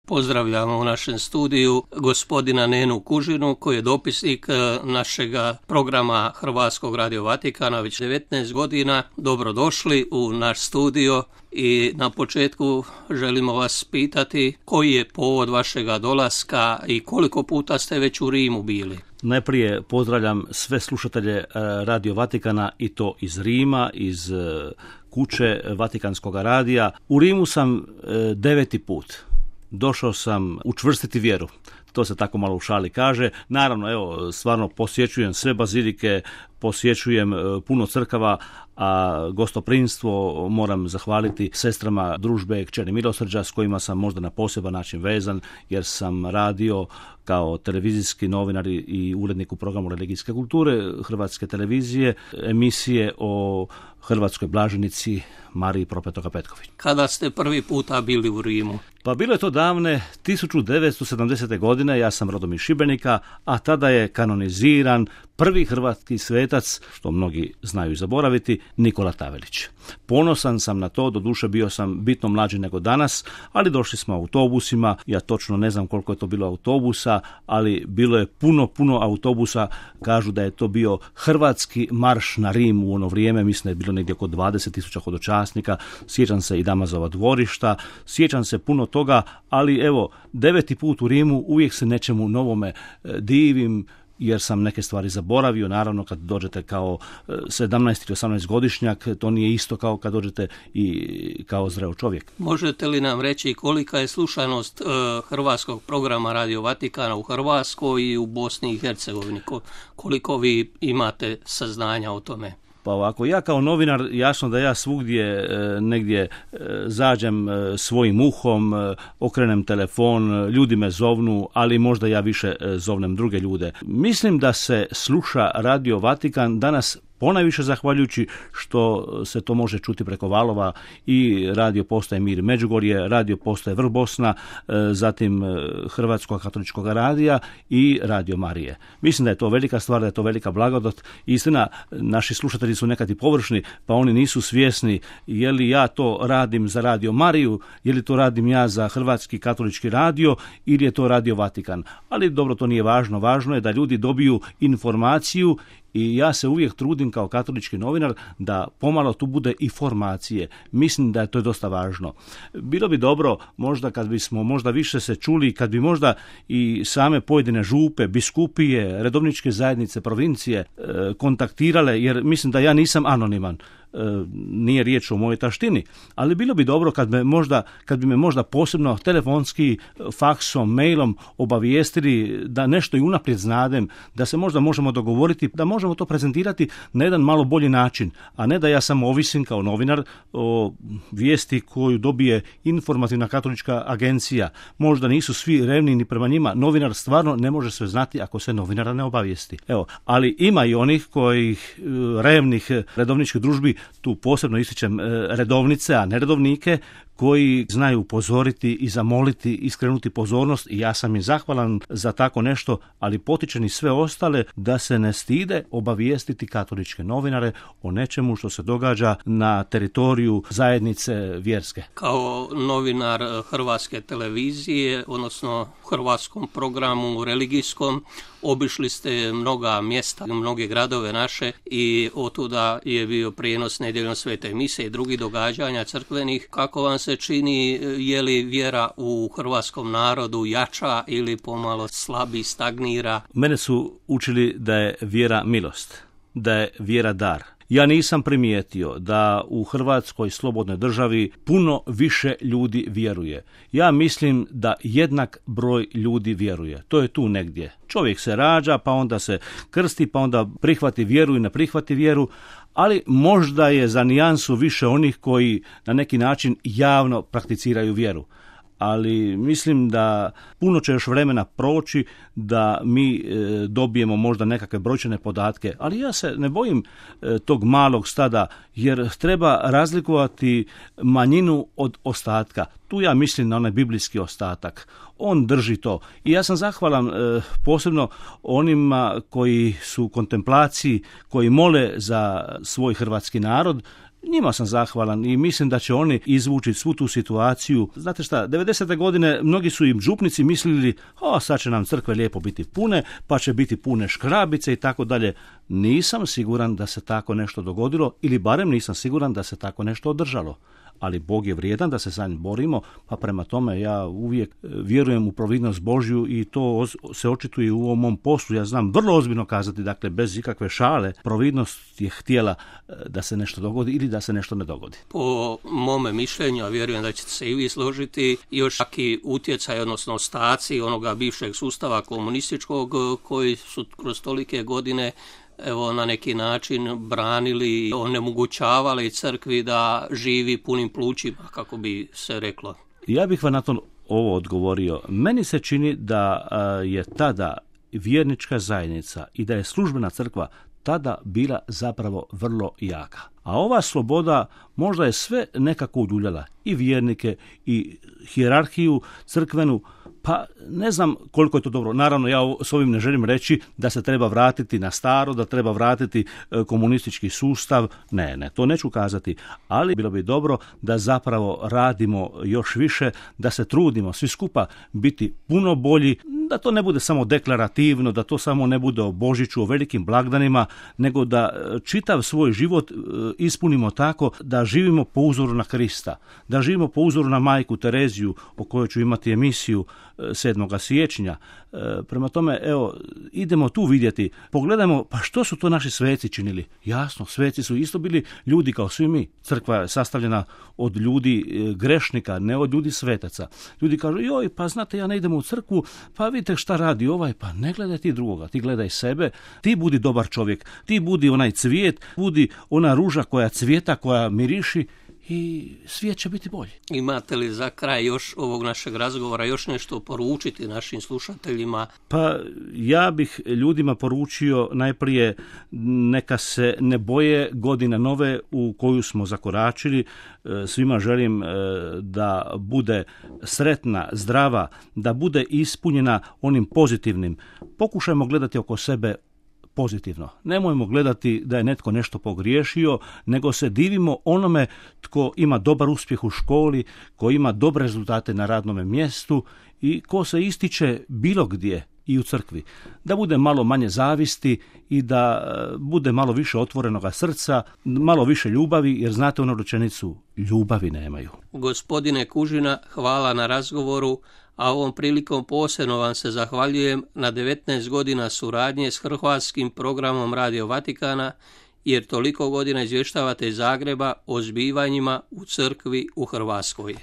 Pozdravljamo u našem studiju gospodina Nenu Kužinu, koji je dopisnik našega programa Hrvatskog radio Vatikana već 19 godina. Dobrodošli u naš studio i na početku želimo vas pitati koji je povod vašega dolaska i koliko puta ste već u Rimu bili? Najprije pozdravljam sve slušatelje Radio Vatikana i to iz Rima, iz kuće Vatikanskog radija. U Rimu sam 9. put. Došao sam učvrstiti vjeru. To se tako malo u šali kaže. Naravno, evo, stvarno posjećujem sve bazilike, posjećujem puno crkava, a gostoprimstvo moram zahvaliti sestrama družbe Kćeri milosrđa s kojima sam možda na poseban način vezan, jer sam radio kao televizijski novinar i urednik u programu religijske kulture Hrvatske televizije, emisije o hrvatskoj blaženici Mariji Propetoga Petković. Kada ste prvi puta bili u Rimu? Pa bilo je to davne 1970. godine, ja sam rodom iz Šibenika, a tada je kanoniziran prvi hrvatski svetac, što mnogi znaju zaboraviti, Nikola Tavelić. Ponosan sam na to, doduše bio sam bitno mlađi nego danas, ali došli smo autobusima, ja točno ne znam koliko je to bilo autobusa, ali bilo je puno autobusa, kažu da je to bio hrvatski marš na Rim u ono vrijeme, mislim da je bilo negdje oko 20.000 hodočasnika, sjećam se i Damazova dvorišta, sjećam se puno toga, ali evo, 9. put u Rimu, uvijek se nečemu novome divim, jer sam neke stvari zaboravio. Naravno, kad dođete kao 17 ili 18 godišnjak, to nije isto kao kad dođete i kao zreo čovjek. Možete li nam reći kolika je slušanost hrvatskog programa Radio Vatikana u Hrvatskoj i u Bosni i Hercegovini? Koliko vi imate saznanja o tome? Pa ovako, ja kao novinar, jasno da ja svugdje negdje zađem svojim uhom, okrenem telefon, ljudi me zovnu, ali možda ja više zovnem druge ljude. Mislim da se sluša Radio Vatikan danas ponajviše zahvaljujući što se to može čuti preko valova i radio postaje Mir Međugorje, radio postaje Vrh Bosna, zatim Hrvatskog katoličkog radija i Radio Marije. Mislim da je to velika stvar, da je to velika blagodat. Istina, naši slušatelji su nekad i površni, pa oni nisu svjesni je li ja to radim za Radio Mariju, je li to radim ja za Hrvatski katolički radio ili je to Radio Vatikan. Ali dobro, to nije važno. Važno je da ljudi dobiju informaciju i ja se uvijek trudim kao katolički novinar da pomalo tu bude i formacije. Mislim da je to dosta važno. Bilo bi dobro možda kad bismo možda više se čuli, kad bi možda i same pojedine župe, biskupije, redovničke zajednice, provincije kontaktirale, jer mislim da ja nisam anoniman. Nije riječ o mojoj taštini, ali bilo bi dobro kad bi me možda posebno telefonski, faksom, mailom obavijestili da nešto i unaprijed znadem, da se možda možemo dogovoriti, da možemo to prezentirati na jedan malo bolji način, a ne da ja samo ovisim kao novinar o vijesti koju dobije informativna katolička agencija. Možda nisu svi revni ni prema njima. Novinar stvarno ne može sve znati ako se novinara ne obavijesti. Evo, ali ima i onih kojih revnih redovničkih družbi, tu posebno ističem redovnice, a ne redovnike, koji znaju upozoriti i zamoliti i skrenuti pozornost i ja sam im zahvalan za tako nešto, ali potičem i sve ostale da se ne stide obavijestiti katoličke novinare o nečemu što se događa na teritoriju zajednice vjerske. Kao novinar Hrvatske televizije, odnosno hrvatskom programu religijskom, obišli ste mnoga mjesta, mnoge gradove naše i otuda je bio prijenos nedjeljom svete mise i drugih događanja crkvenih. Kako vam se čini, je li vjera u hrvatskom narodu jača ili pomalo slabi, stagnira? Mene su učili da je vjera milost, da je vjera dar. Ja nisam primijetio da u Hrvatskoj slobodnoj državi puno više ljudi vjeruje. Ja mislim da jednak broj ljudi vjeruje. To je tu negdje. Čovjek se rađa, pa onda se krsti, pa onda prihvati vjeru i ne prihvati vjeru, ali možda je za nijansu više onih koji na neki način javno prakticiraju vjeru. Ali mislim da puno će još vremena proći da mi dobijemo možda nekakve brojčane podatke, ali ja se ne bojim tog malog stada, jer treba razlikovati manjinu od ostatka. Tu ja mislim na onaj biblijski ostatak. On drži to. I ja sam zahvalan posebno onima koji su u kontemplaciji, koji mole za svoj hrvatski narod, njima sam zahvalan i mislim da će oni izvući svu tu situaciju. Znate šta, 90. godine mnogi su im župnici mislili, sad će nam crkve lijepo biti pune, pa će biti pune škrabice i tako dalje. Nisam siguran da se tako nešto dogodilo, ili barem nisam siguran da se tako nešto održalo. Ali Bog je vrijedan da se za njim borimo, pa prema tome ja uvijek vjerujem u providnost Božju i to se očituje u ovom mom poslu. Ja znam vrlo ozbiljno kazati, dakle bez ikakve šale, providnost je htjela da se nešto dogodi ili da se nešto ne dogodi. Po mome mišljenju, a vjerujem da ćete se i vi složiti, još taki utjecaj, odnosno ostaci onoga bivšeg sustava komunističkog koji su kroz tolike godine na neki način branili, onemogućavali crkvi da živi punim plućima, kako bi se reklo. Ja bih vam na to ovo odgovorio. Meni se čini da je tada vjernička zajednica i da je službena crkva tada bila zapravo vrlo jaka. A ova sloboda možda je sve nekako uljuljala, i vjernike i hijerarhiju crkvenu, pa ne znam koliko je to dobro. Naravno, ja s ovim ne želim reći da se treba vratiti na staro, da treba vratiti komunistički sustav. Ne, to neću kazati. Ali bilo bi dobro da zapravo radimo još više, da se trudimo svi skupa biti puno bolji, da to ne bude samo deklarativno, da to samo ne bude o Božiću, o velikim blagdanima, nego da čitav svoj život ispunimo tako da živimo po uzoru na Krista, da živimo po uzoru na majku Tereziju, o kojoj ću imati emisiju 7. siječnja. Prema tome, idemo tu vidjeti, pogledajmo, pa što su to naši sveci činili? Jasno, sveci su isto bili ljudi kao svi mi. Crkva je sastavljena od ljudi grešnika, ne od ljudi svetaca. Ljudi kažu, pa znate, ja ne idem u crkvu, pa vidite šta radi ovaj, pa ne gledaj ti drugoga, ti gledaj sebe, ti budi dobar čovjek, ti budi onaj cvijet, budi ona ruža koja cvijeta, koja miriši, i svijet će biti bolji. Imate li za kraj još ovog našeg razgovora još nešto poručiti našim slušateljima? Pa ja bih ljudima poručio najprije neka se ne boje godine nove u koju smo zakoračili. Svima želim da bude sretna, zdrava, da bude ispunjena onim pozitivnim. Pokušajmo gledati oko sebe pozitivno. Nemojmo gledati da je netko nešto pogriješio, nego se divimo onome tko ima dobar uspjeh u školi, ko ima dobre rezultate na radnom mjestu i ko se ističe bilo gdje i u crkvi. Da bude malo manje zavisti i da bude malo više otvorenoga srca, malo više ljubavi, jer znate onu rečenicu, ljubavi nemaju. Gospodine Kužina, hvala na razgovoru, a ovom prilikom posebno vam se zahvaljujem na 19 godina suradnje s hrvatskim programom Radio Vatikana, jer toliko godina izvještavate iz Zagreba o zbivanjima u crkvi u Hrvatskoj.